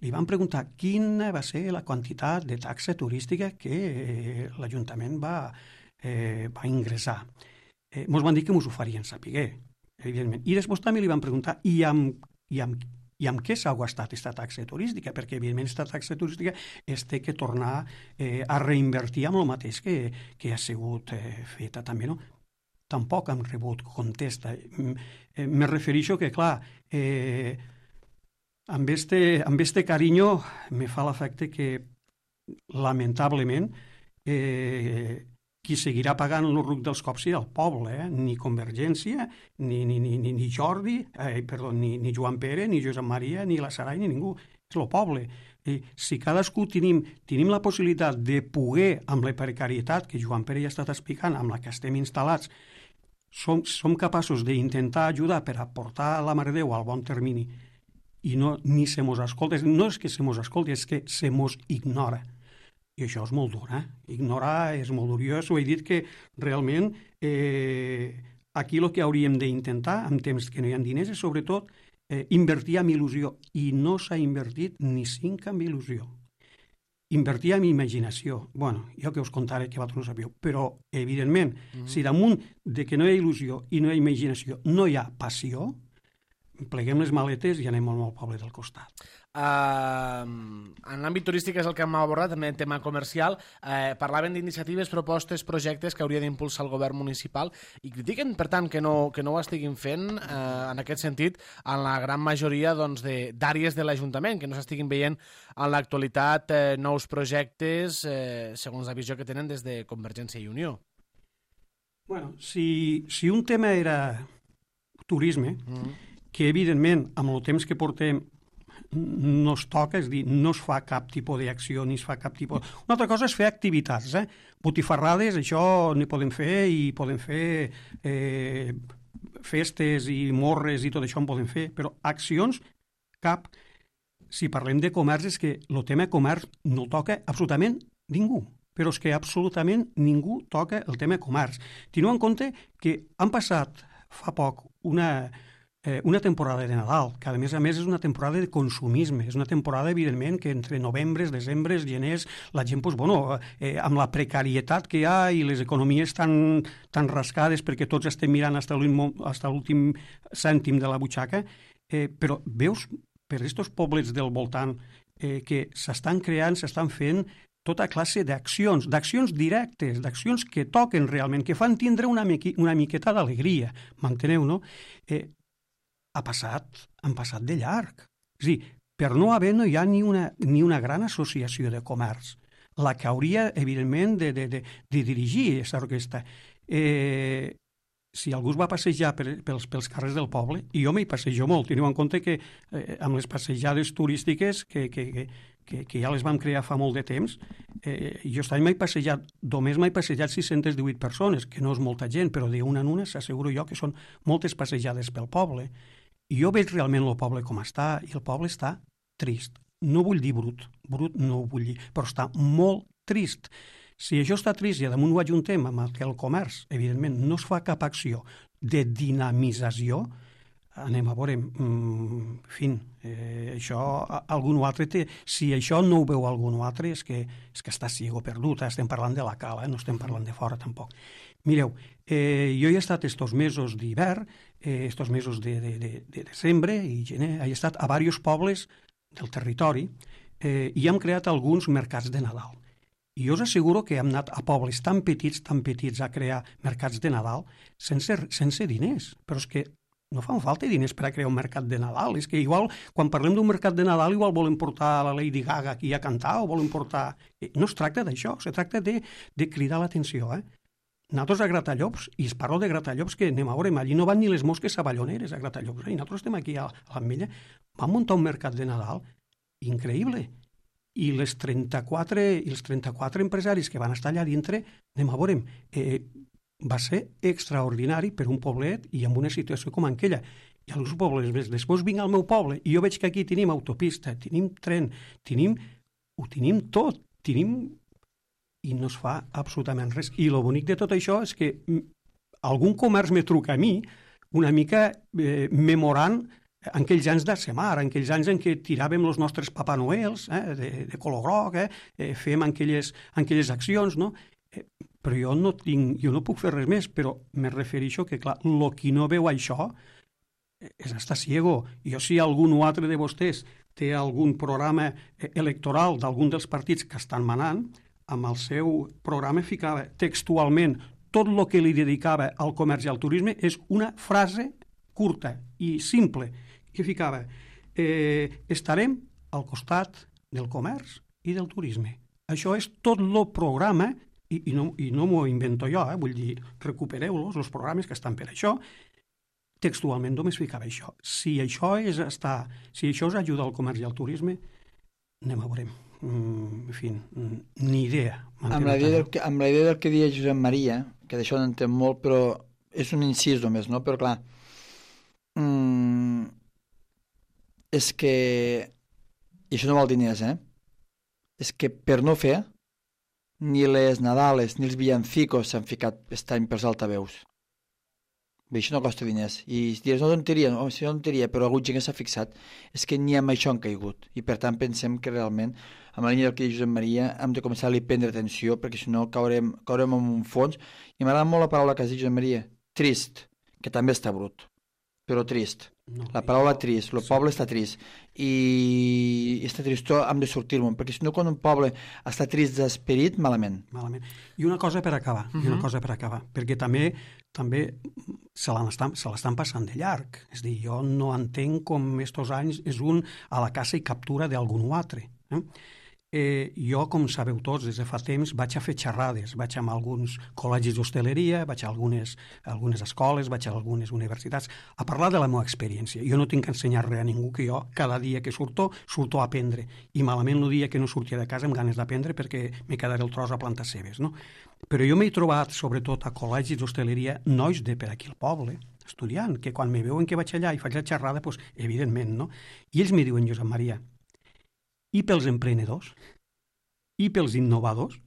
C: Li van preguntar quina va ser la quantitat de taxa turística que eh, l'Ajuntament va, eh, va ingressar. Eh, mos van dir que mos ho farien saber, evidentment. I després també li van preguntar i amb, i amb, i amb què s'ha gastat aquesta taxa turística, perquè evidentment aquesta taxa turística es té que tornar eh, a reinvertir amb el mateix que, que ha sigut eh, feta també, no? Tampoc han rebut contesta. Eh, me refereixo que, clar, eh, amb este, amb este carinyo me fa l'efecte que, lamentablement, eh, qui seguirà pagant el ruc dels cops serà el poble, eh? Ni Convergència, ni, ni, ni, ni Jordi, eh, perdó, ni, ni Joan Pere, ni Josep Maria, ni la Sarai, ni ningú. És el poble. I si cadascú tenim, tenim la possibilitat de poder, amb la precarietat que Joan Pere ja ha estat explicant, amb la que estem instal·lats, som, som capaços d'intentar ajudar per aportar la Mare de Déu al bon termini, i no, ni se mos escolta. No és que se mos escolti, és que se mos ignora. I això és molt dur, eh? Ignorar és molt dur. Jo us ho he dit que realment eh, aquí el que hauríem d'intentar, en temps que no hi ha diners, és sobretot eh, invertir en il·lusió. I no s'ha invertit ni cinc en il·lusió. Invertir en imaginació. Bueno, jo que us contaré que vosaltres no sabíeu, però, evidentment, mm-hmm. si damunt de que no hi ha il·lusió i no hi ha imaginació no hi ha passió, pleguem les maletes i anem al meu poble del costat.
A: Uh, en l'àmbit turístic és el que hem abordat, també en tema comercial. Uh, parlaven d'iniciatives, propostes, projectes que hauria d'impulsar el govern municipal i critiquen, per tant, que no, que no ho estiguin fent uh, en aquest sentit en la gran majoria doncs, de, d'àrees de l'Ajuntament, que no s'estiguin veient en l'actualitat uh, nous projectes uh, segons la visió que tenen des de Convergència i Unió.
C: Bueno, si, si un tema era turisme, mm. que evidentment amb el temps que portem no es toca, és dir, no es fa cap tipus d'acció, ni es fa cap tipus... Una altra cosa és fer activitats, eh? Botifarrades, això n'hi podem fer, i podem fer eh, festes i morres i tot això en podem fer, però accions, cap. Si parlem de comerç, és que el tema comerç no toca absolutament ningú, però és que absolutament ningú toca el tema comerç. Teniu en compte que han passat fa poc una... Eh, una temporada de Nadal, que a més a més és una temporada de consumisme, és una temporada, evidentment, que entre novembres, desembres, geners, la gent, pues, bueno, eh, amb la precarietat que hi ha i les economies tan, tan rascades perquè tots estem mirant fins a l'últim cèntim de la butxaca, eh, però veus per aquests pobles del voltant eh, que s'estan creant, s'estan fent tota classe d'accions, d'accions directes, d'accions que toquen realment, que fan tindre una, miqui, una miqueta d'alegria, m'enteneu, no? Eh, ha passat, han passat de llarg. És a dir, per no haver no hi ha ni una, ni una gran associació de comerç, la que hauria, evidentment, de, de, de, de dirigir aquesta orquestra. Eh, si algú es va passejar per, pels, pels carrers del poble, i jo m'hi passejo molt, teniu en compte que eh, amb les passejades turístiques que, que, que, que, que ja les vam crear fa molt de temps, eh, jo aquest any m'he passejat, només m'he passejat sis-centes divuit persones, que no és molta gent, però d'una en una s'asseguro jo que són moltes passejades pel poble. I jo veig realment el poble com està, i el poble està trist. No vull dir brut, brut no ho vull dir, però està molt trist. Si això està trist i a damunt ho ajuntem amb el que el comerç, evidentment, no es fa cap acció de dinamització, anem a veure, en fi, eh, això algun altre té. Si això no ho veu algun altre és que, és que està ciego perdut, eh? Estem parlant de la cala, eh? No estem parlant de fora tampoc. Mireu, eh, jo he estat estos mesos d'hivern, eh, estos mesos de, de, de, de desembre i gener, he estat a diversos pobles del territori eh, i hem creat alguns mercats de Nadal. I jo us asseguro que hem anat a pobles tan petits, tan petits a crear mercats de Nadal sense, sense diners, però és que no fan falta diners per a crear un mercat de Nadal. És que igual, quan parlem d'un mercat de Nadal, igual volen portar la Lady Gaga aquí a cantar o volen portar... No es tracta d'això, es tracta de, de cridar l'atenció, eh? Nosaltres a Gratallops, i es parlo de Gratallops, que anem a veure, allí no van ni les mosques saballoneres a Gratallops, i nosaltres estem aquí a l'Ametlla, vam muntar un mercat de Nadal increïble, i les trenta-quatre, i els trenta-quatre empresaris que van estar allà dintre, anem a veure, eh, va ser extraordinari per un poblet i amb una situació com aquella. I alguns pobles més. Després vinc al meu poble i jo veig que aquí tenim autopista, tenim tren, tenim, ho tenim tot, tenim... i no es fa absolutament res. I el bonic de tot això és que algun comerç me truca a mi una mica eh, memorant en aquells anys de Semar, en aquells anys en què tiràvem els nostres Papa Noels eh, de, de color groc, eh, eh, fem aquelles, aquelles accions, no? Eh, però jo no tinc, jo no puc fer res més, però me refereixo que, clar, el qui no veu això és estar ciego. Jo, si algun o altre de vostès té algun programa electoral d'algun dels partits que estan manant, amb el seu programa ficava textualment tot el que li dedicava al comerç i al turisme és una frase curta i simple, que ficava eh, estarem al costat del comerç i del turisme. Això és tot el programa, i, i no, i no m'ho invento jo, eh, vull dir, recupereu-los, els programes que estan per això, textualment només ficava això. Si això és estar, si això us ajuda al comerç i al turisme, anem a veurem. Mm, en fi, ni idea.
B: Amb la idea, del que, amb la idea del que deia Josep Maria, que d'això no entenc molt, però és un incís només, no? Però clar, mm, és que, i això no val diners, eh? És que per no fer, ni les Nadales ni els villancicos s'han ficat aquest any pels altaveus. Bé, això no costa diners. I si dius, no tonteria, no, si no tonteria, però algun gent que s'ha fixat, és que ni amb això han caigut. I per tant pensem que realment, amb la línia del que diu Josep Maria, hem de començar a li prendre atenció, perquè si no caurem, caurem en un fons. I m'agrada molt la paraula que has dit, Josep Maria, trist, que també està brut, però trist. No, la paraula jo... trist, el sí. Poble està trist. I aquesta tristor hem de sortir-me'n, perquè si no, quan un poble està trist d'esperit, malament.
C: Malament. I una cosa per acabar, uh-huh. i una cosa per acabar, perquè també també se l'estan se l'estan passant de llarg. És a dir, jo no entenc com estos anys és un a la caça i captura d'algun altre. Eh? Eh, jo, com sabeu tots, des de fa temps vaig a fer xerrades, vaig a alguns col·legis d'hostaleria, vaig a algunes, a algunes escoles, vaig a algunes universitats, a parlar de la meva experiència. Jo no tinc que ensenyar res a ningú, que jo cada dia que surto, surto a aprendre. I malament el dia que no sortia de casa amb ganes d'aprendre perquè me quedaré el tros a plantar cebes, no? Però jo m'he trobat, sobretot a col·legis d'hostaleria, nois de per aquí al poble, estudiant, que quan me veuen que vaig allà i faig la xerrada, doncs, evidentment, no? I ells me diuen, Josep Maria, i pels emprenedors, i pels innovadors.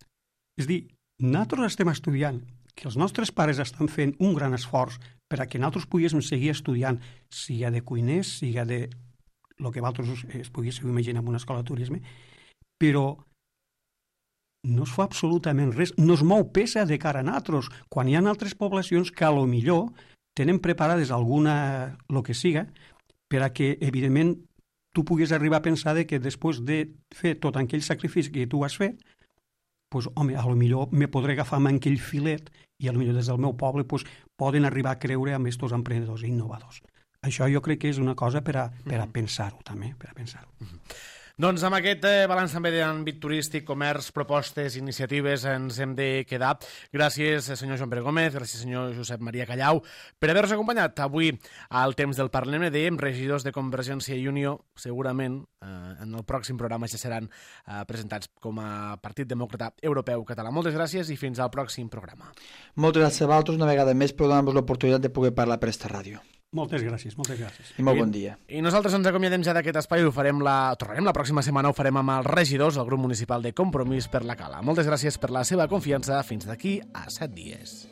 C: És dir, nosaltres estem estudiant, que els nostres pares estan fent un gran esforç per a que nosaltres poguéssim seguir estudiant, siga de cuiners, siga de el que vosaltres es poguéssiu imaginar en una escola de turisme, però no es fa absolutament res, no es mou peça de cara a nosaltres, quan hi ha altres poblacions que a lo millor tenen preparades alguna, el que siga, per a que, evidentment, tu puguis arribar a pensar que després de fer tot aquell sacrifici que tu has fet, pues, home, a lo millor me podré agafar amb aquell filet i a lo millor des del meu poble pues, poden arribar a creure amb aquests emprenedors i innovadors. Això jo crec que és una cosa per a, per a pensar-ho també, per a pensar-ho.
A: Mm-hmm. Doncs amb aquest eh, balanç també d'àmbit turístic, comerç, propostes, iniciatives ens hem de quedar. Gràcies, senyor Joan Pere Gómez, gràcies, senyor Josep Maria Callau, per haver-nos acompanyat avui al temps del Parlament. Dèiem, regidors de Convergència i Unió, segurament eh, en el pròxim programa ja seran eh, presentats com a Partit Demòcrata Europeu Català. Moltes gràcies i fins al pròxim programa.
B: Moltes gràcies a vosaltres una vegada més per donar-nos l'oportunitat de poder parlar per esta ràdio.
C: Moltes gràcies, moltes gràcies.
B: I molt bon dia.
A: I, i nosaltres ens acomiadem ja d'aquest espai i ho farem la... tornarem la pròxima setmana, ho farem amb els regidors del grup municipal de Compromís per la Cala. Moltes gràcies per la seva confiança. Fins d'aquí a set dies.